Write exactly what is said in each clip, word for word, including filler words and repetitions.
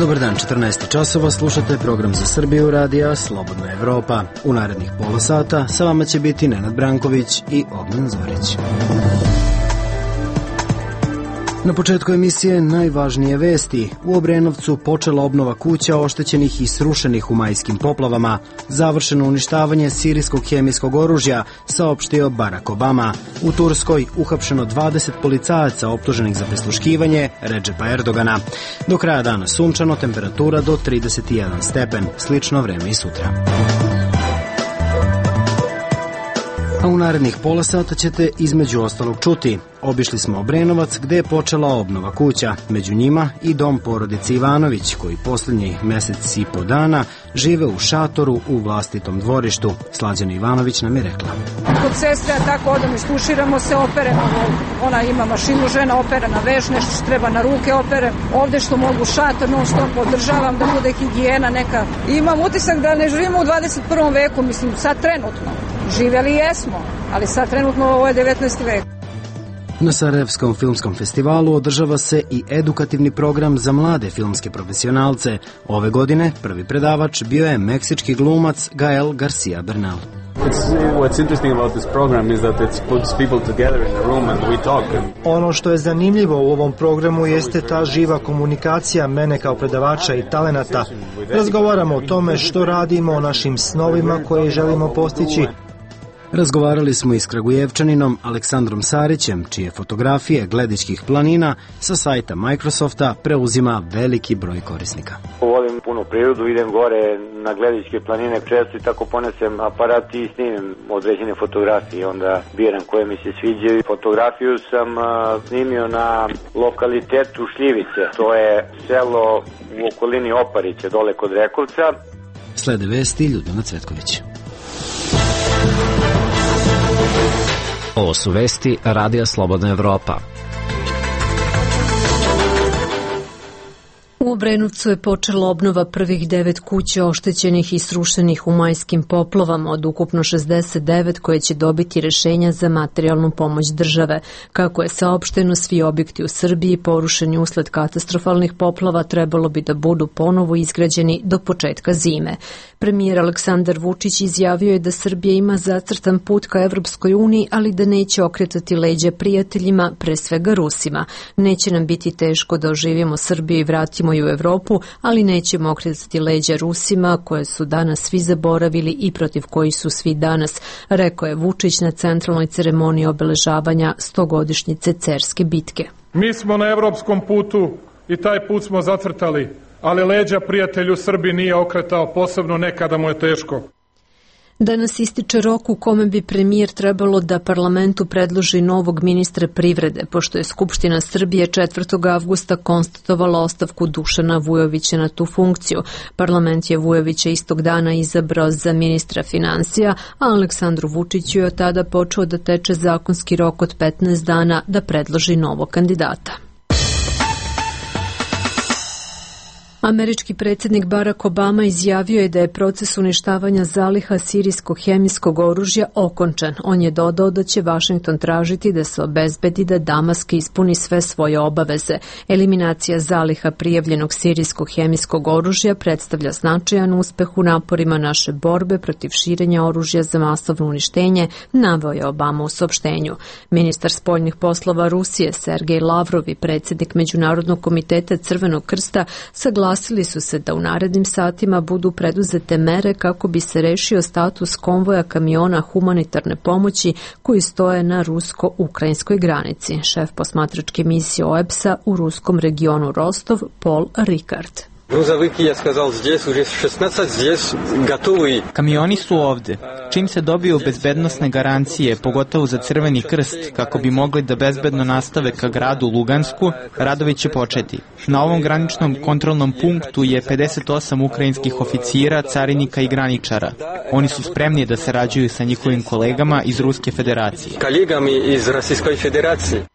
Dobar dan, četrnaest časova, slušate program za Srbiju radija Slobodna Evropa. U narednih pola sata sa vama će biti Nenad Branković i Ognjen Zorić. Na početku emisije najvažnije vesti. U Obrenovcu počela obnova kuća oštećenih i srušenih u majskim poplavama. Završeno uništavanje sirijskog hemijskog oružja, saopštio Barack Obama. U Turskoj uhapšeno dvadeset policajaca optuženih za prisluškivanje Redžepa Erdogana. Do kraja dana sunčano, temperatura do trideset jedan stepen. Slično vreme i sutra. A u narednih pola sata ćete između ostalog čuti. Obišli smo Obrenovac gde je počela obnova kuća. Među njima i dom porodice Ivanović, koji posljednji mesec i po dana žive u šatoru u vlastitom dvorištu. Slađana Ivanović nam je rekla. Kod sestre, tako odam istuširamo se, operemo. Ona ima mašinu, žena opera na veš, nešto što treba na ruke opere. Ovde što mogu šator, non stop održavam da bude higijena neka. Imam utisak da ne živimo u dvadeset prvom veku, mislim sad trenutno. Živjeli jesmo, ali sad trenutno ovo je devetnaesti vek. Na Sarajevskom filmskom festivalu održava se i edukativni program za mlade filmske profesionalce. Ove godine prvi predavač bio je meksički glumac Gael Garcia Bernal. Ono što je zanimljivo u ovom programu jeste ta živa komunikacija mene kao predavača i talenata. Razgovaramo o tome što radimo, o našim snovima koje želimo postići. Razgovarali smo i s Kragujevčaninom Aleksandrom Sarićem, čije fotografije Gledičkih planina sa sajta Microsofta preuzima veliki broj korisnika. Volim puno prirodu, idem gore na Gledičke planine često i tako ponesem aparat i snimim određene fotografije, onda biram koje mi se sviđaju. Fotografiju sam snimio na lokalitetu Šljivice, to je selo u okolini Oparića, dole kod Rekovca. Slede vesti Ljudmila Cvetković. Ovo su vesti Radija Slobodna Evropa. U Obrenovcu je počela obnova prvih devet kuća oštećenih i srušenih u majskim poplavama od ukupno šezdeset devet koje će dobiti rešenja za materijalnu pomoć države. Kako je saopšteno, svi objekti u Srbiji porušeni usled katastrofalnih poplava trebalo bi da budu ponovo izgrađeni do početka zime. Premijer Aleksandar Vučić izjavio je da Srbija ima zacrtan put ka Evropskoj uniji, ali da neće okretati leđa prijateljima, pre svega Rusima. Neće nam biti teško da oživimo Srbiju i vratimo u Evropu, ali nećemo okretati leđa Rusima, koje su danas svi zaboravili i protiv kojih su svi danas, rekao je Vučić na centralnoj ceremoniji obeležavanja stogodišnjice Cerske bitke. Mi smo na evropskom putu i taj put smo zacrtali, ali leđa prijatelju Srbiji nije okretao, posebno nekada mu je teško. Danas ističe rok u kome bi premijer trebalo da parlamentu predloži novog ministra privrede, pošto je Skupština Srbije četvrtog avgusta konstatovala ostavku Dušana Vujovića na tu funkciju. Parlament je Vujovića istog dana izabrao za ministra finansija, a Aleksandru Vučiću je od tada počeo da teče zakonski rok od petnaest dana da predloži novog kandidata. Američki predsjednik Barack Obama izjavio je da je proces uništavanja zaliha sirijskog hemijskog oružja okončan. On je dodao da će Vašington tražiti da se obezbedi da Damask ispuni sve svoje obaveze. Eliminacija zaliha prijavljenog sirijskog hemijskog oružja predstavlja značajan uspeh u naporima naše borbe protiv širenja oružja za masovno uništenje, naveo je Obama u saopštenju. Ministar spoljnih poslova Rusije Sergej Lavrov i predsjednik Međunarodnog komiteta Crvenog krsta saglasili Saglasili su se da u narednim satima budu preduzete mere kako bi se rešio status konvoja kamiona humanitarne pomoći koji stoje na rusko-ukrajinskoj granici. Šef posmatračke misije O E B S-a u ruskom regionu Rostov, Paul Ricard. Kamioni su ovde. Čim se dobiju bezbednosne garancije, pogotovo za Crveni krst, kako bi mogli da bezbedno nastave ka gradu Lugansku, radovi će početi. Na ovom graničnom kontrolnom punktu je pedeset osam ukrajinskih oficira, carinika i graničara. Oni su spremni da sarađuju sa njihovim kolegama iz Ruske federacije. Kolegami iz Rusijskoj federacije.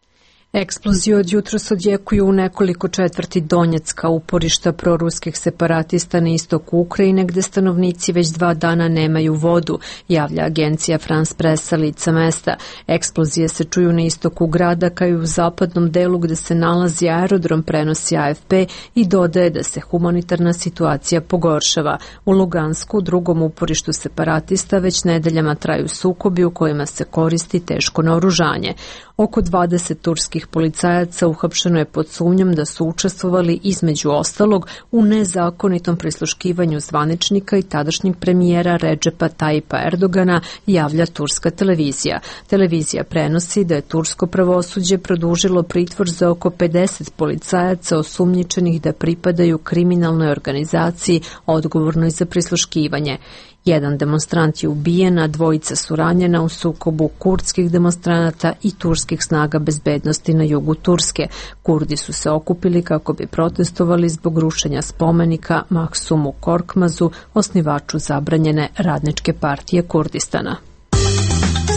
Eksplozije od jutros odjekuju u nekoliko četvrti Donjecka, uporišta proruskih separatista na istoku Ukrajine, gde stanovnici već dva dana nemaju vodu, javlja agencija France Pressa lica mesta. Eksplozije se čuju na istoku grada, kao i u zapadnom delu gde se nalazi aerodrom, prenosi A F P i dodaje da se humanitarna situacija pogoršava. U Lugansku, drugom uporištu separatista, već nedeljama traju sukobi u kojima se koristi teško naoružanje. Oko dvadeset turskih policajaca uhapšeno je pod sumnjom da su učestvovali između ostalog u nezakonitom prisluškivanju zvaničnika i tadašnjeg premijera Redžepa Tajipa Erdogana, javlja turska televizija. Televizija prenosi da je tursko pravosuđe produžilo pritvor za oko pedeset policajaca osumnjičenih da pripadaju kriminalnoj organizaciji odgovornoj za prisluškivanje. Jedan demonstrant je ubijen, a dvojica su ranjena u sukobu kurdskih demonstranata i turskih snaga bezbednosti na jugu Turske. Kurdi su se okupili kako bi protestovali zbog rušenja spomenika Mahsumu Korkmazu, osnivaču zabranjene radničke partije Kurdistana.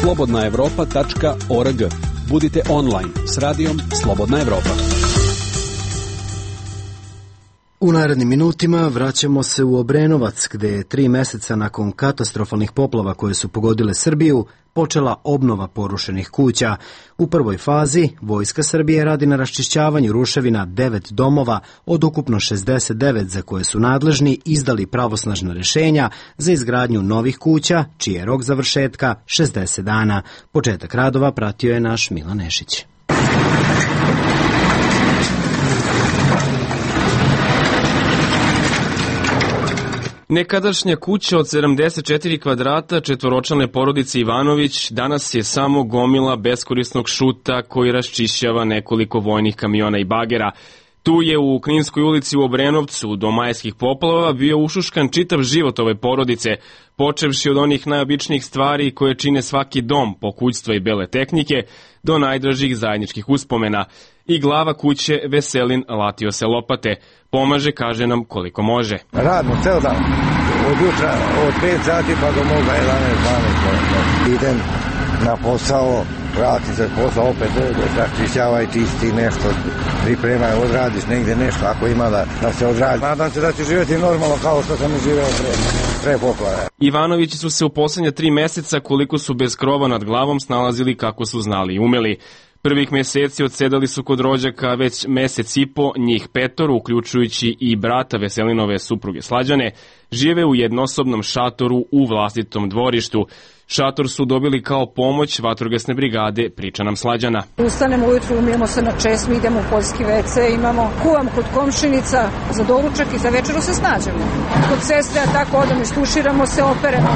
slobodna evropa tačka org. Budite online s radijom Slobodna Evropa. U narednim minutima vraćamo se u Obrenovac, gde je tri meseca nakon katastrofalnih poplava koje su pogodile Srbiju počela obnova porušenih kuća. U prvoj fazi Vojska Srbije radi na raščišćavanju ruševina devet domova od ukupno šezdeset devet za koje su nadležni izdali pravosnažna rešenja za izgradnju novih kuća, čiji je rok završetka šezdeset dana. Početak radova pratio je naš Milan Nešić. Nekadašnja kuća od sedamdeset četiri kvadrata četvoročlane porodice Ivanović danas je samo gomila beskorisnog šuta koji raščišćava nekoliko vojnih kamiona i bagera. Tu je u Kninskoj ulici u Obrenovcu do majskih poplava bio ušuškan čitav život ove porodice, počevši od onih najobičnijih stvari koje čine svaki dom, pokućstva i bele tehnike, do najdražih zajedničkih uspomena. I glava kuće Veselin latio se lopate. Pomaže, kaže nam koliko može. Radno, ceo dan. Od jutra, od pet sati pa do moga jedanaest dvanaest. Idem na posao, vrati se posao, opet raščišćavaj, čisti nešto, pripremaj, odradiš negde nešto, ako ima da, da se odradi. Nadam se da će živjeti normalno kao što sam živeo pre, pre poplave. Ivanovići su se u poslednja tri meseca, koliko su bez krova nad glavom, snalazili kako su znali i umeli. Prvih meseci odsedali su kod rođaka već mesec i po, njih petoro, uključujući i brata Veselinove supruge Slađane, žive u jednosobnom šatoru u vlastitom dvorištu. Šator su dobili kao pomoć vatrogasne brigade, priča nam Slađana. Ustanemo ujutru, umijemo se na česmi, idemo u poljski ve ce, imamo kuvam kod komšinica za doručak i za večeru se snađemo. Kod sestre, tako odam, istuširamo se, operemo.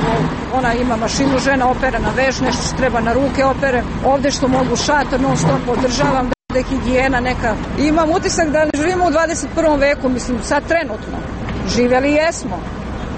Ona ima mašinu, žena opere na veš, nešto što treba na ruke opere. Ovde što mogu šator, non stop održavam, da je higijena neka. Imam utisak da živimo u dvadeset prvom veku, mislim, sad trenutno. Živjeli jesmo.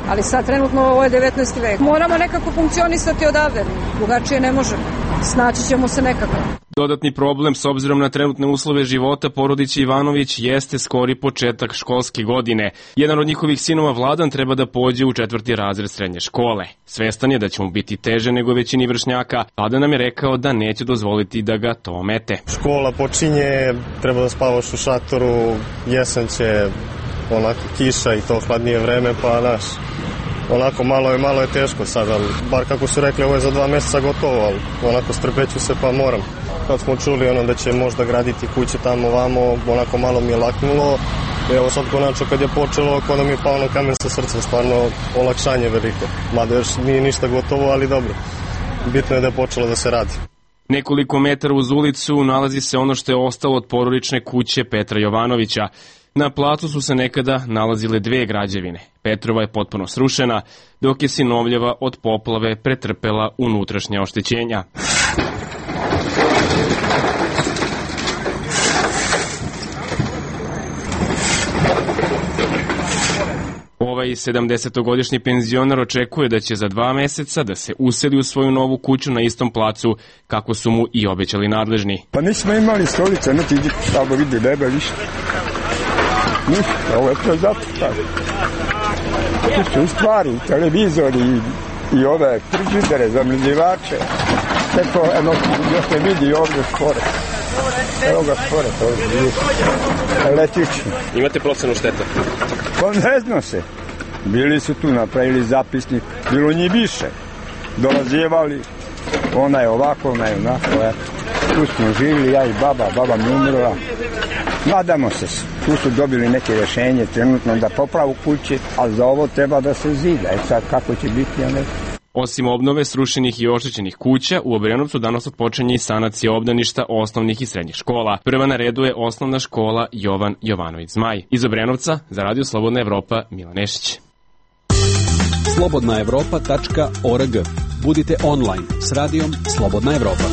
Ali sad trenutno ovo je devetnaesti vek. Moramo nekako funkcionisati odavde, drugačije ne možemo. Snaći ćemo se nekako. Dodatni problem s obzirom na trenutne uslove života porodice Ivanović jeste skori početak školske godine. Jedan od njihovih sinova Vladan treba da pođe u četvrti razred srednje škole. Svestan je da će mu biti teže nego većini vršnjaka. Vladan nam je rekao da neće dozvoliti da ga to omete. Škola počinje, treba da spavaš u šatoru, jesen će, onako kiša i to hladnije vreme, pa naš, onako malo je, malo je teško sad, ali bar kako su rekli, ovo je za dva meseca gotovo, ali onako strpeću se pa moram. Kad smo čuli ono da će možda graditi kuće tamo vamo, onako malo mi je laknulo. Evo sad konačno kad je počelo, kod nam je pao ono kamen sa srca, stvarno olakšanje veliko. Mada još nije ništa gotovo, ali dobro. Bitno je da je počelo da se radi. Nekoliko metara uz ulicu nalazi se ono što je ostalo od porodične kuće Petra Jovanovića. Na placu su se nekada nalazile dve građevine. Petrova je potpuno srušena, dok je Sinovljeva od poplave pretrpela unutrašnja oštećenja. Ovaj sedamdesetogodišnji penzionar očekuje da će za dva meseca da se useli u svoju novu kuću na istom placu kako su mu i obećali nadležni. Pa nismo imali stolice, niti tamo vidi nebe ništa. Ništa, ovo je to zato tako. Tu su stvari, televizori i, i ove frižidere, zamrzivače. Sve to, eno, još ne vidi ovdje skoro. Evo ga skoro, to je električni. Imate procenu šteta? Pa ne zna se. Bili su tu, napravili zapisnik, bilo njih više. Dolazivali, ona je ovako, ona je onako, eto. Tu smo živili, ja i baba, baba mi umrla. Nadamo se, tu su dobili neke rješenje trenutno da popravu kuće, ali za ovo treba da se zida. E sad kako će biti, ja ne znam. Osim obnove srušenih i oštećenih kuća, u Obrenovcu danas odpočinje i sanacija obdaništa osnovnih i srednjih škola. Prva na redu je osnovna škola Jovan Jovanović Zmaj. Iz Obrenovca, za Radio Slobodna Evropa, Milan Nešić. slobodna evropa tačka org. Budite online s radijom Slobodna Evropa.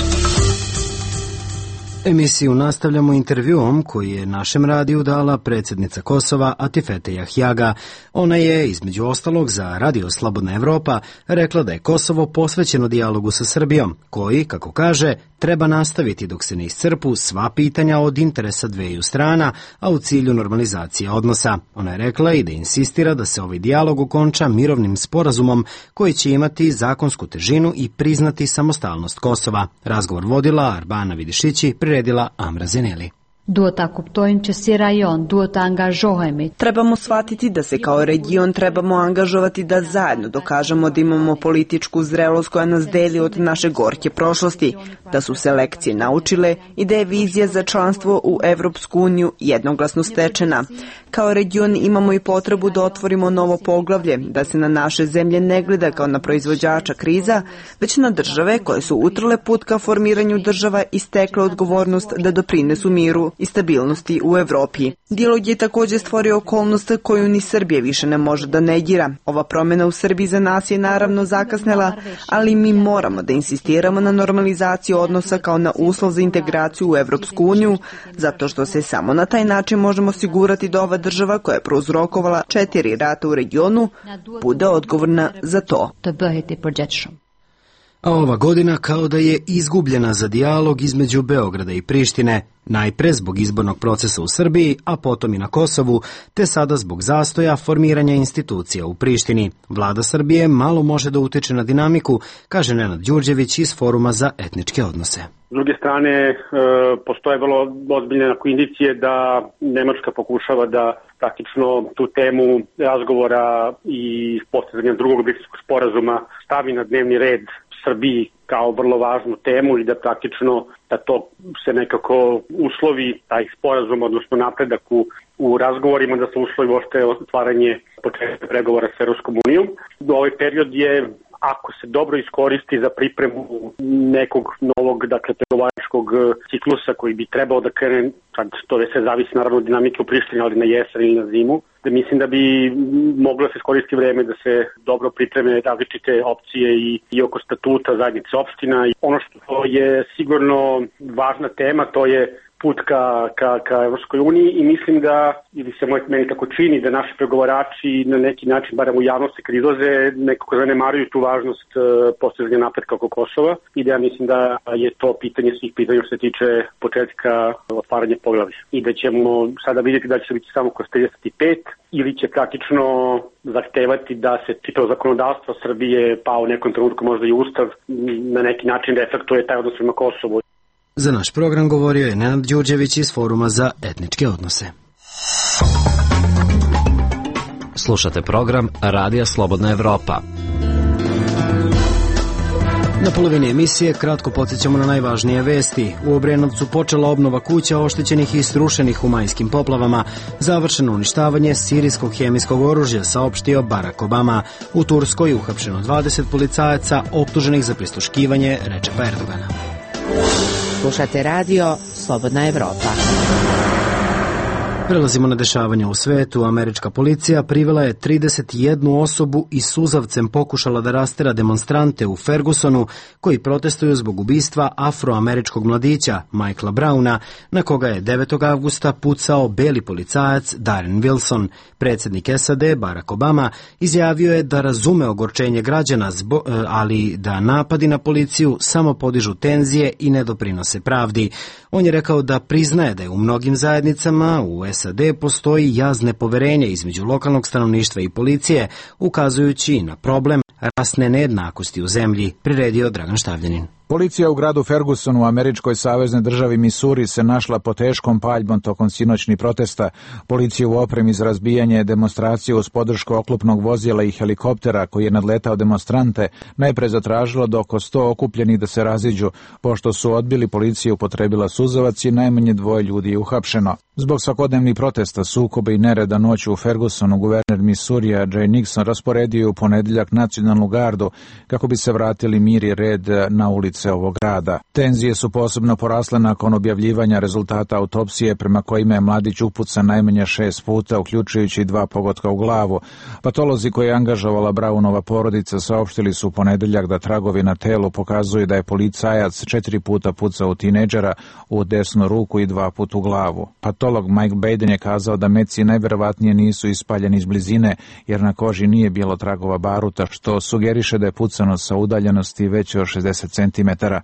Emisiju nastavljamo intervjuom koji je našem radiju dala predsjednica Kosova Atifete Jahjaga. Ona je, između ostalog, za Radio Slobodna Evropa rekla da je Kosovo posvećeno dijalogu sa Srbijom, koji, kako kaže, treba nastaviti dok se ne iscrpu sva pitanja od interesa dveju strana, a u cilju normalizacije odnosa. Ona je rekla i da insistira da se ovaj dijalog okonča mirovnim sporazumom koji će imati zakonsku težinu i priznati samostalnost Kosova. Razgovor vodila Arbana Vidišići, priredila Amra Zeneli. Duhet ta kuptojmë që si rajon duhet të angazhohemi. Trebamo shvatiti da se kao region trebamo angažovati da zajedno dokažemo da imamo političku zrelost koja nas deli od naše gorke prošlosti, da su se lekcije naučile i da je vizija za članstvo u Evropsku uniju jednoglasno stečena. Kao region imamo i potrebu da otvorimo novo poglavlje, da se na naše zemlje ne gleda kao na proizvođača kriza, već na države koje su utrle put ka formiranju država i stekle odgovornost da doprinesu miru i stabilnosti u Evropi. Dijalog je također stvorio okolnost koju ni Srbija više ne može da negira. Ova promjena u Srbiji za nas je naravno zakasnela, ali mi moramo da insistiramo na normalizaciju odnosa kao na uslov za integraciju u Evropsku uniju, zato što se samo na taj način možemo osigurati da ova država koja je prouzrokovala četiri rata u regionu bude odgovorna za to. A ova godina kao da je izgubljena za dijalog između Beograda i Prištine, najpre zbog izbornog procesa u Srbiji, a potom i na Kosovu, te sada zbog zastoja formiranja institucija u Prištini. Vlada Srbije malo može da utiče na dinamiku, kaže Nenad Đurđević iz Foruma za etničke odnose. S druge strane, postoje vrlo ozbiljne indicije da Nemačka pokušava da praktično tu temu razgovora i postizanja drugog Briselskog sporazuma stavi na dnevni red Srbiji kao vrlo važnu temu i da praktično da to se nekako uslovi, taj sporazum, odnosno napredak u, u razgovorima, da se uslovi uopšte otvaranje početka pregovora s Evropskom unijom. Ovaj period je, ako se dobro iskoristi za pripremu nekog novog, dakle, pregovaračkog ciklusa koji bi trebao da krene, sad to sve zavisi naravno od dinamike u Prištini, ali na jesen ili na zimu, da mislim da bi moglo se iskoristiti vreme da se dobro pripreme različite opcije i, i oko statuta zajednice opština. Ono što je sigurno važna tema, to je put ka, ka, ka Evropskoj uniji i mislim da, ili se meni tako čini, da naši pregovarači na neki način, barem u javnosti kad izlaze, nekako zanemaruju tu važnost uh, postizanja napretka oko Kosova i da ja mislim da je to pitanje svih pitanja što se tiče početka otvaranja poglavlja. I da ćemo sada vidjeti da će se biti samo kroz trideset pet ili će praktično zahtevati da se čitavo zakonodavstvo Srbije, pa u nekom trenutku možda i Ustav, na neki način reflektuje taj odnos prema Kosovu. Za naš program govorio je Nenad Đurđević iz Foruma za etničke odnose. Slušate program Radija Slobodna Evropa. Na polovini emisije kratko podsjećamo na najvažnije vesti. U Obrenovcu počela obnova kuća oštećenih i srušenih u majskim poplavama. Završeno uništavanje sirijskog hemijskog oružja, saopštio Barack Obama. U Turskoj uhapšeno dvadeset policajaca optuženih za prisluškivanje Rečepa Erdogana. Slušate radio Slobodna Evropa. Prelazimo na dešavanja u svetu. Američka policija privela je trideset jednu osobu i suzavcem pokušala da rastera demonstrante u Fergusonu koji protestuju zbog ubistva afroameričkog mladića Michaela Browna, na koga je devetog avgusta pucao beli policajac Darren Wilson. Predsjednik S A D Barack Obama izjavio je da razume ogorčenje građana, ali da napadi na policiju samo podižu tenzije i ne doprinose pravdi. On je rekao da priznaje da je u mnogim zajednicama u S A D postoji jaz nepoverenja između lokalnog stanovništva i policije, ukazujući na problem rasne nejednakosti u zemlji, priredio Dragan Štavljanin. Policija u gradu Fergusonu u američkoj saveznoj državi Misuri se našla pod teškom paljbom tokom sinoćnih protesta. Policija u opremi za razbijanje demonstracije uz podršku oklopnog vozila i helikoptera koji je nadletao demonstrante najpre zatražila da oko sto okupljenih da se raziđu. Pošto su odbili, policija upotrebila suzavac i najmanje dvoje ljudi je uhapšeno. Zbog svakodnevnih protesta, sukoba i nereda noću u Fergusonu, guverner Misurija Jay Nixon rasporedio je u ponedeljak nacionalnu gardu kako bi se vratili mir i red na ulice ovog grada. Tenzije su posebno porasle nakon objavljivanja rezultata autopsije prema kojima je mladić upucan najmanje šest puta, uključujući dva pogotka u glavu. Patolozi koje je angažovala Brownova porodica saopštili su u ponedeljak da tragovi na telu pokazuju da je policajac četiri puta pucao u tinejdžera u desnu ruku i dva puta u glavu. Patolog Mike Baden je kazao da meci najverovatnije nisu ispaljeni iz blizine, jer na koži nije bilo tragova baruta, što sugeriše da je pucano sa udaljenosti veće od šezdeset centimetara.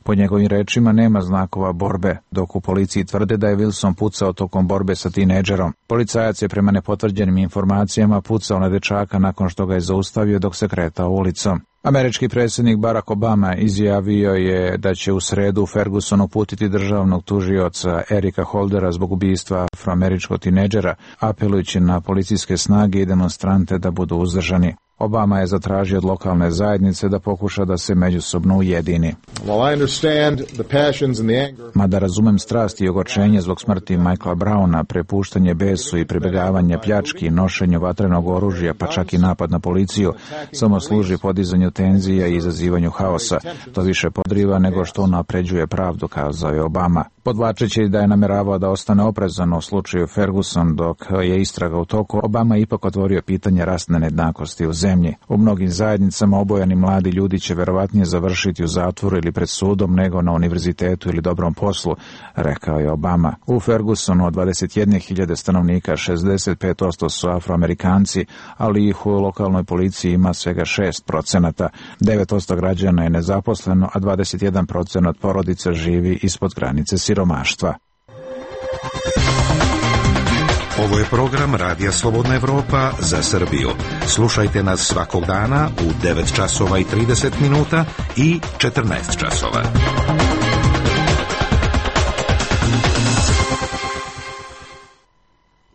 Po njegovim rečima nema znakova borbe, dok u policiji tvrde da je Wilson pucao tokom borbe sa tinejdžerom. Policajac je prema nepotvrđenim informacijama pucao na dečaka nakon što ga je zaustavio dok se kretao ulicom. Američki predsjednik Barack Obama izjavio je da će u sredu u Ferguson uputiti državnog tužioca Erika Holdera zbog ubistva afroameričkog tinejdžera, apelujući na policijske snage i demonstrante da budu uzdržani. Obama je zatražio od lokalne zajednice da pokuša da se međusobno ujedini. Mada razumem strasti i ogorčenje zbog smrti Michaela Browna, prepuštanje besu i pribjegavanje pljački, nošenju vatrenog oružja, pa čak i napad na policiju, samo služi podizanju tenzija i izazivanju haosa. To više podriva nego što unapređuje pravdu, kazao je Obama. Podvlačeći da je nameravao da ostane oprezan u slučaju Ferguson dok je istraga u toku, Obama je ipak otvorio pitanje rasne nejednakosti u zemlji. U mnogim zajednicama obojani mladi ljudi će verovatnije završiti u zatvoru ili pred sudom nego na univerzitetu ili dobrom poslu, rekao je Obama. U Fergusonu od dvadeset jedne hiljade stanovnika šezdeset pet posto su Afroamerikanci, ali ih u lokalnoj policiji ima svega šest procenata. devet posto građana je nezaposleno, a dvadeset jedan procenat porodica živi ispod granice siromaštva. Ovo je program Radija Slobodna Evropa za Srbiju. Slušajte nas svakog dana u devet časova i trideset minuta i četrnaest časova.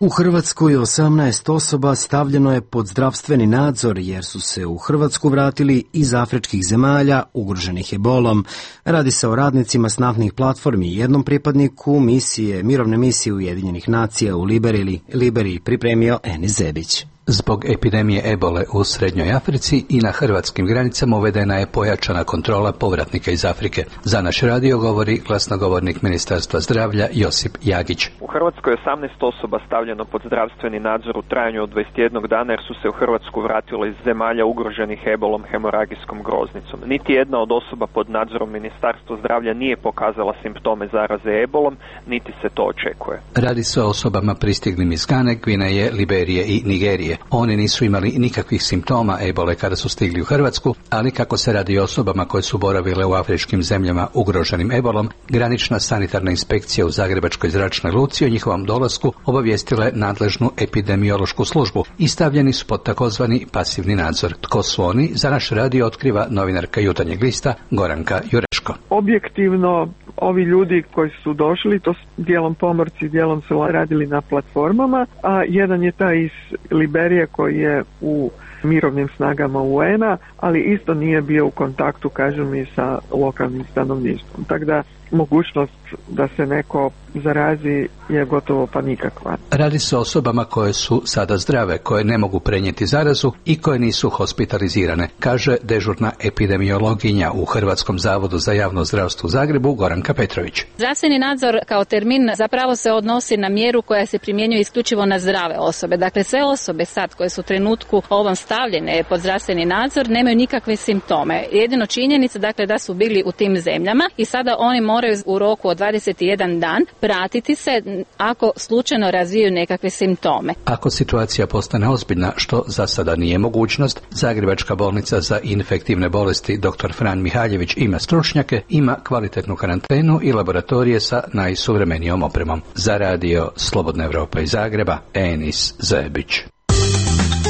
U Hrvatskoj osamnaest osoba stavljeno je pod zdravstveni nadzor jer su se u Hrvatsku vratili iz afričkih zemalja ugroženih ebolom. Radi se o radnicima s naftnih platformi i jednom pripadniku misije, mirovne misije Ujedinjenih nacija u Liberiji, Liberiji pripremio Enis Zebić. Zbog epidemije ebole u Srednjoj Africi i na hrvatskim granicama uvedena je pojačana kontrola povratnika iz Afrike. Za naš radio govori glasnogovornik Ministarstva zdravlja Josip Jagić. U Hrvatskoj je osamnaest osoba stavljeno pod zdravstveni nadzor u trajanju od dvadeset jedan dana jer su se u Hrvatsku vratile iz zemalja ugroženih ebolom hemoragijskom groznicom. Niti jedna od osoba pod nadzorom Ministarstva zdravlja nije pokazala simptome zaraze ebolom, niti se to očekuje. Radi se o osobama pristiglim iz Gane, Gvineje, Liberije i Nigerije. Oni nisu imali nikakvih simptoma ebole kada su stigli u Hrvatsku, ali kako se radi o osobama koje su boravile u afričkim zemljama ugroženim ebolom, granična sanitarna inspekcija u Zagrebačkoj zračnoj luci o njihovom dolasku obavijestila je nadležnu epidemiološku službu i stavljeni su pod takozvani pasivni nadzor. Tko su oni? Za naš radio otkriva novinarka Jutarnjeg lista Goranka Jureško. Objektivno, ovi ljudi koji su došli, to su dijelom pomorci, dijelom su radili na platformama, a jedan je taj iz Liberije koji je u mirovnim snagama U N a, ali isto nije bio u kontaktu, kažu mi, sa lokalnim stanovništvom. Tako da mogućnost da se neko zarazi je gotovo pa nikakva. Radi se o osobama koje su sada zdrave, koje ne mogu prenijeti zarazu i koje nisu hospitalizirane, kaže dežurna epidemiologinja u Hrvatskom zavodu za javno zdravstvo u Zagrebu Goranka Petrović. Zdravstveni nadzor kao termin zapravo se odnosi na mjeru koja se primjenjuje isključivo na zdrave osobe. Dakle, sve osobe sad koje su u trenutku ovom stavljene pod zdravstveni nadzor nemaju nikakve simptome. Jedino činjenica, dakle, da su bili u tim zemljama i sada oni moraju u roku od dvadeset jedan dan pratiti se ako slučajno razviju nekakve simptome. Ako situacija postane ozbiljna, što za sada nije mogućnost, Zagrebačka bolnica za infektivne bolesti dr. Fran Mihaljević ima stručnjake, ima kvalitetnu karantenu i laboratorije sa najsuvremenijom opremom. Za radio Slobodna Evropa iz Zagreba, Enis Zebić.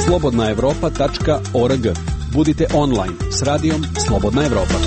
slobodna evropa tačka org. Budite online s radijom Slobodna Evropa.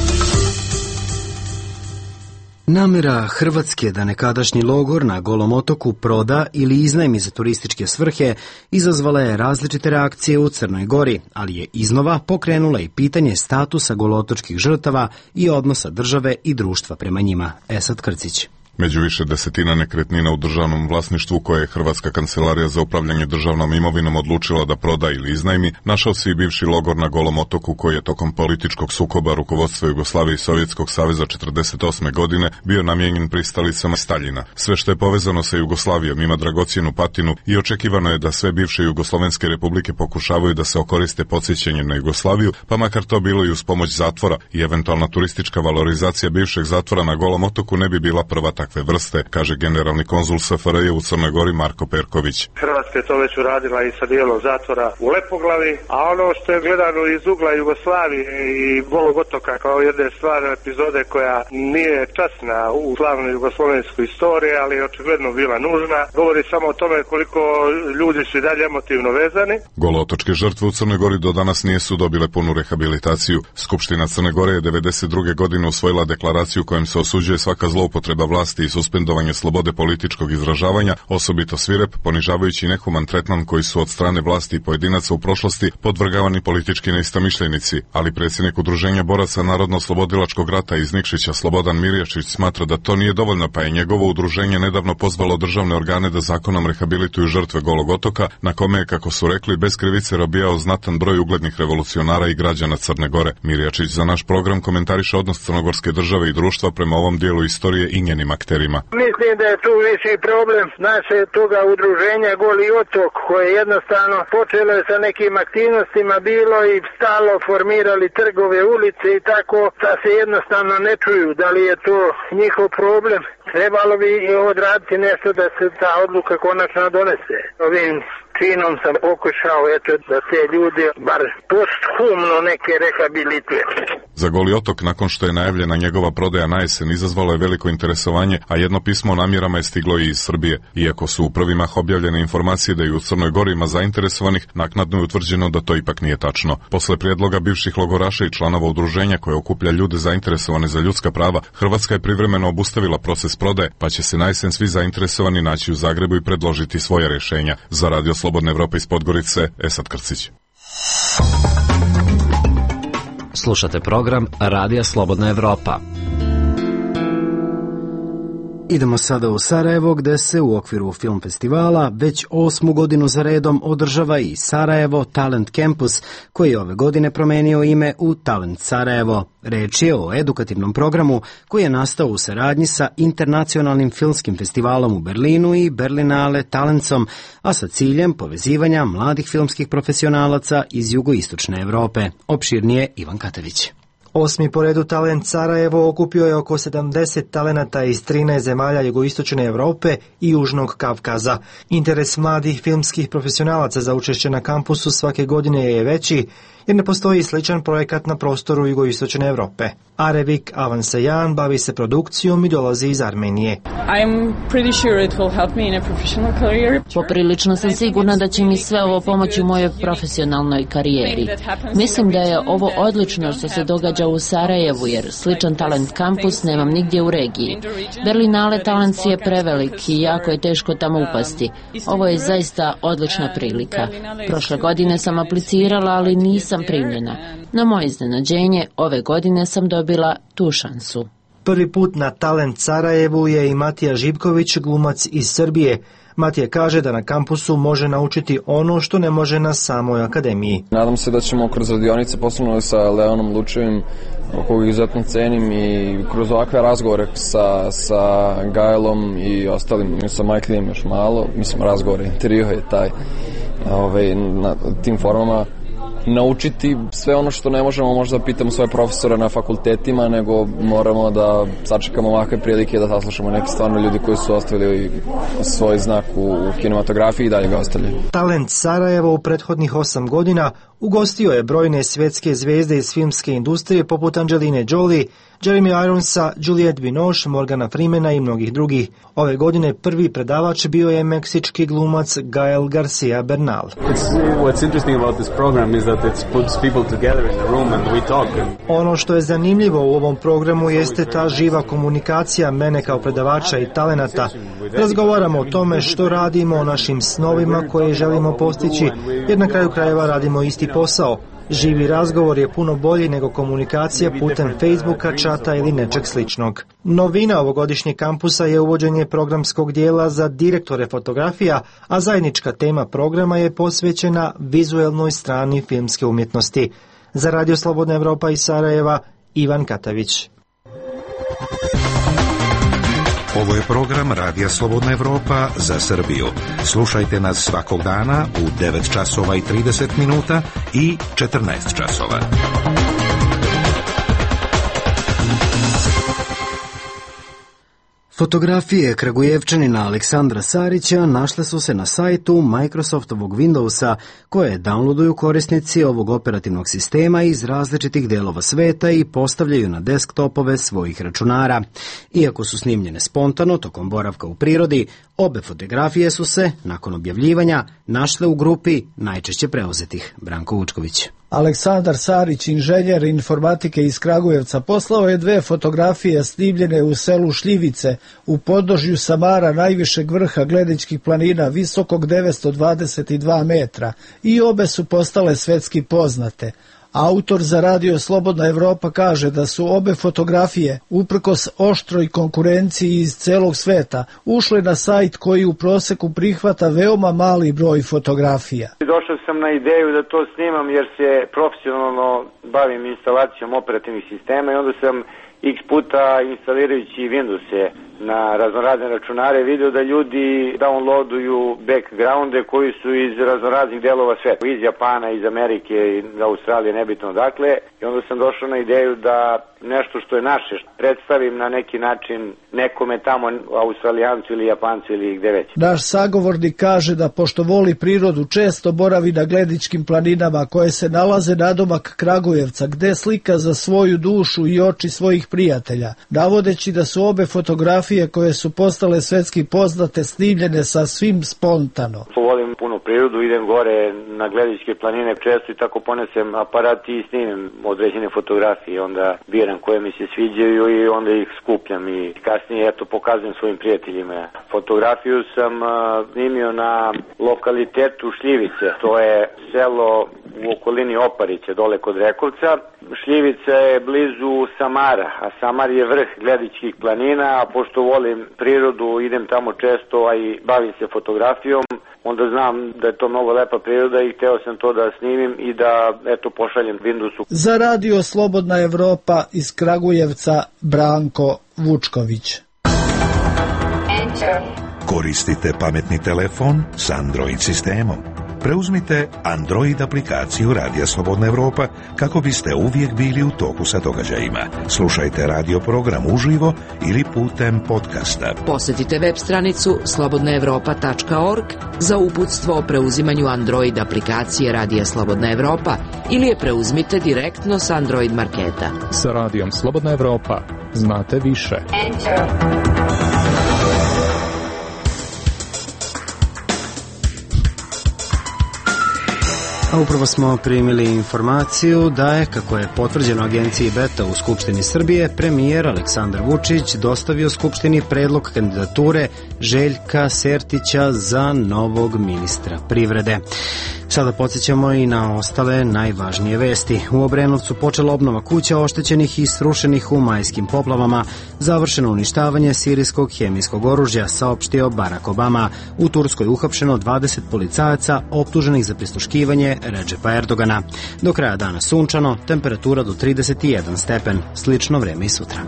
Namera Hrvatske da nekadašnji logor na Golom otoku proda ili iznajmi za turističke svrhe izazvala je različite reakcije u Crnoj Gori, ali je iznova pokrenula i pitanje statusa golotočkih žrtava i odnosa države i društva prema njima. Esad Krcić. Među više desetina nekretnina u državnom vlasništvu koje je Hrvatska kancelarija za upravljanje državnom imovinom odlučila da proda ili iznajmi, našao se i bivši logor na Golom otoku koji je tokom političkog sukoba rukovodstva Jugoslavije i Sovjetskog saveza četrdeset osme godine bio namijenjen pristalicama Staljina. Sve što je povezano sa Jugoslavijom ima dragocjenu patinu i očekivano je da sve bivše jugoslovenske republike pokušavaju da se okoriste podsjećanjem na Jugoslaviju, pa makar to bilo i uz pomoć zatvora i eventualna turistička valorizacija bivšeg zatvora na Golom otoku ne bi bila prva takve vrste, kaže generalni konzul S F R J u Crnoj Gori Marko Perković. Hrvatska je to već uradila i sa dijelom zatvora u Lepoglavi, a ono što je gledano iz ugla Jugoslavije i Golog otoka kao jedne stvarne epizode koja nije časna u slavnoj jugoslovenskoj istoriji, ali je očigledno bila nužna, govori samo o tome koliko ljudi su i dalje emotivno vezani. Golootočke žrtve u Crnoj Gori do danas nisu dobile punu rehabilitaciju. Skupština Crne Gore je devedeset druge godine usvojila deklaraciju kojom se osuđuje svaka zloupotreba vlasti i suspendovanje slobode političkog izražavanja, osobito svirep, ponižavajući nehuman tretman koji su od strane vlasti i pojedinaca u prošlosti podvrgavani politički neistomišljenici, ali predsjednik Udruženja boraca Narodno-oslobodilačkog rata iz Nikšića Slobodan Mirjačić smatra da to nije dovoljno, pa je njegovo udruženje nedavno pozvalo državne organe da zakonom rehabilituju žrtve Golog otoka, na kome je, kako su rekli, bez krivice robijao znatan broj uglednih revolucionara i građana Crne Gore. Mirjačić za naš program komentariše odnos crnogorske države i društva prema ovom dijelu istorije i njenim akterima. Mislim da je tu viši problem naše toga udruženja Goli otok, koje jednostavno počelo je sa nekim aktivnostima, bilo i stalo formirali trgove, ulice i tako, da se jednostavno ne čuju. Da li je to njihov problem? Trebalo bi odraditi nešto da se ta odluka konačno donese. Ovim činom sam pokušao eto, da te ljudi bar posthumno neke rehabilituje. Za Goli otok, nakon što je najavljena njegova prodaja na jesen, izazvalo je veliko interesovanje, a jedno pismo o namjerama je stiglo i iz Srbije. Iako su u prvi mah objavljene informacije da i u Crnoj Gori ima zainteresovanih, naknadno je utvrđeno da to ipak nije tačno. Posle prijedloga bivših logoraša i članova udruženja koje okuplja ljude zainteresovane za ljudska prava, Hrvatska je privremeno obustavila proces prodaje, pa će se na jesen svi zainteresovani naći u Zagrebu i predložiti svoje rješenja. Za Radio Slobodna Evropa iz Podgorice, Esad Krcić. Slušate program Radija Slobodna Evropa. Idemo sada u Sarajevo, gde se u okviru film festivala već osmu godinu za redom održava i Sarajevo Talent Campus, koji je ove godine promenio ime u Talent Sarajevo. Reč je o edukativnom programu koji je nastao u saradnji sa Internacionalnim filmskim festivalom u Berlinu i Berlinale Talentsom, a sa ciljem povezivanja mladih filmskih profesionalaca iz jugoistočne Evrope. Opširnije Ivan Katavić. Osmi po redu Talent Sarajevo okupio je oko sedamdeset talenata iz trinaest zemalja jugoistočne Evrope i Južnog Kavkaza. Interes mladih filmskih profesionalaca za učešće na kampusu svake godine je veći, jer ne postoji sličan projekat na prostoru jugoistočne Evrope. Arevik Avansajan bavi se produkcijom i dolazi iz Armenije. Poprilično sam sigurna da će mi sve ovo pomoći u mojoj profesionalnoj karijeri. Mislim da je ovo odlično što se događa u Sarajevu, jer sličan talent kampus nemam nigdje u regiji. Berlinale Talents je prevelik i jako je teško tamo upasti. Ovo je zaista odlična prilika. Prošle godine sam aplicirala, ali nisam primljena. Na moje iznenađenje, ove godine sam dobila tu šansu. Prvi put na Talent Sarajevu je i Matija Živković, glumac iz Srbije. Matija kaže da na kampusu može naučiti ono što ne može na samoj akademiji. Nadam se da ćemo kroz radionice, posebno sa Leonom Lučevim, kojeg izuzetno cenim, i kroz ovakve razgovore sa, sa Gajlom i ostalim, sa Michaelom još malo, mislim razgovore, intervju je taj, ovaj, na tim formama, naučiti sve ono što ne možemo možda pitamo svoje profesore na fakultetima, nego moramo da sačekamo ovakve prilike da saslušamo neke stvarno ljudi koji su ostavili svoj znak u, u kinematografiji i dalje ga ostavljaju. Talent Sarajevo u prethodnih osam godina ugostio je brojne svjetske zvezde iz filmske industrije poput Angeline Jolie, Jeremy Ironsa, Juliette Binoche, Morgana Freemana i mnogih drugih. Ove godine prvi predavač bio je meksički glumac Gael Garcia Bernal. Ono što je zanimljivo u ovom programu jeste ta živa komunikacija mene kao predavača i talenata. Razgovaramo o tome što radimo, o našim snovima koje želimo postići, jer na kraju krajeva radimo isti posao. Živi razgovor je puno bolji nego komunikacija putem Facebooka, čata ili nečeg sličnog. Novina ovogodišnjeg kampusa je uvođenje programskog dijela za direktore fotografija, a zajednička tema programa je posvećena vizuelnoj strani filmske umjetnosti. Za Radio Slobodna Evropa iz Sarajeva, Ivan Katavić. Ovo je program Radija Slobodna Evropa za Srbiju. Slušajte nas svakog dana u devet časova i trideset minuta i četrnaest časova. Fotografije Kragujevčanina Aleksandra Sarića našle su se na sajtu Microsoftovog Windowsa, koje downloaduju korisnici ovog operativnog sistema iz različitih delova sveta i postavljaju na desktopove svojih računara. Iako su snimljene spontano tokom boravka u prirodi, obe fotografije su se, nakon objavljivanja, našle u grupi najčešće preuzetih. Branko Vučković. Aleksandar Sarić, inženjer informatike iz Kragujevca, poslao je dve fotografije snimljene u selu Šljivice, u podnožju Samara, najvišeg vrha Gledičkih planina, visokog devetsto dvadeset dva metra, i obe su postale svetski poznate. Autor za Radio Slobodna Evropa kaže da su obe fotografije, uprkos oštroj konkurenciji iz celog sveta, ušle na sajt koji u proseku prihvata veoma mali broj fotografija. Došao sam na ideju da to snimam jer se profesionalno bavim instalacijom operativnih sistema i onda sam x puta instalirajući Windowse na raznorazne računare vidio da ljudi downloaduju backgrounde koji su iz raznoraznih delova sveta, iz Japana, iz Amerike, iz Australije, nebitno dakle, i onda sam došao na ideju da nešto što je naše predstavim na neki način nekome tamo, Australijancu ili Japancu ili gde već. Naš sagovornik kaže da pošto voli prirodu često boravi na Gledičkim planinama koje se nalaze nadomak Kragujevca, gde slika za svoju dušu i oči svojih prijatelja, navodeći da su obe fotografije koje su postale svetski poznate snimljene sa svim spontano. Volim puno prirodu, idem gore na Gledičke planine često i tako ponesem aparat i snimim određene fotografije, onda biram koje mi se sviđaju i onda ih skupljam i kasnije eto pokazujem svojim prijateljima. Fotografiju sam uh, snimio na lokalitetu Šljivice, to je selo u okolini Oparića, dole kod Rekovca. Šljivica je blizu Samara, a Samar je vrh Gledičkih planina, a pošto volim prirodu, idem tamo često, a i bavim se fotografijom, onda znam da je to mnogo lepa priroda i hteo sam to da snimim i da eto pošaljem Windowsu. Za Radio Slobodna Evropa iz Kragujevca, Branko Vučković. Koristite pametni telefon s Android sistemom. Preuzmite Android aplikaciju Radija Slobodna Evropa kako biste uvijek bili u toku sa događajima. Slušajte radio program uživo ili putem podcasta. Posjetite web stranicu slobodna evropa tačka org za uputstvo o preuzimanju Android aplikacije Radija Slobodna Evropa ili je preuzmite direktno s Android marketa. Sa Radijom Slobodna Evropa znate više. Enter. A upravo smo primili informaciju da je, kako je potvrđeno agenciji Beta u Skupštini Srbije, premijer Aleksandar Vučić dostavio Skupštini predlog kandidature Željka Sertića za novog ministra privrede. Sada podsjećamo i na ostale najvažnije vesti. U Obrenovcu počela obnova kuća oštećenih i srušenih u majskim poplavama. Završeno uništavanje sirijskog hemijskog oružja, saopštio Barack Obama. U Turskoj uhapšeno dvadeset policajaca optuženih za prisluškivanje Redžepa Erdogana. Do kraja dana sunčano, temperatura do trideset jedan stepen. Slično vreme i sutra.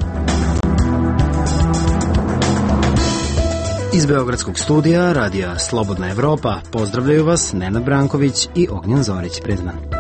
Iz Beogradskog studija Radija Slobodna Evropa pozdravljaju vas Nenad Branković i Ognjen Zorić. Prijatno.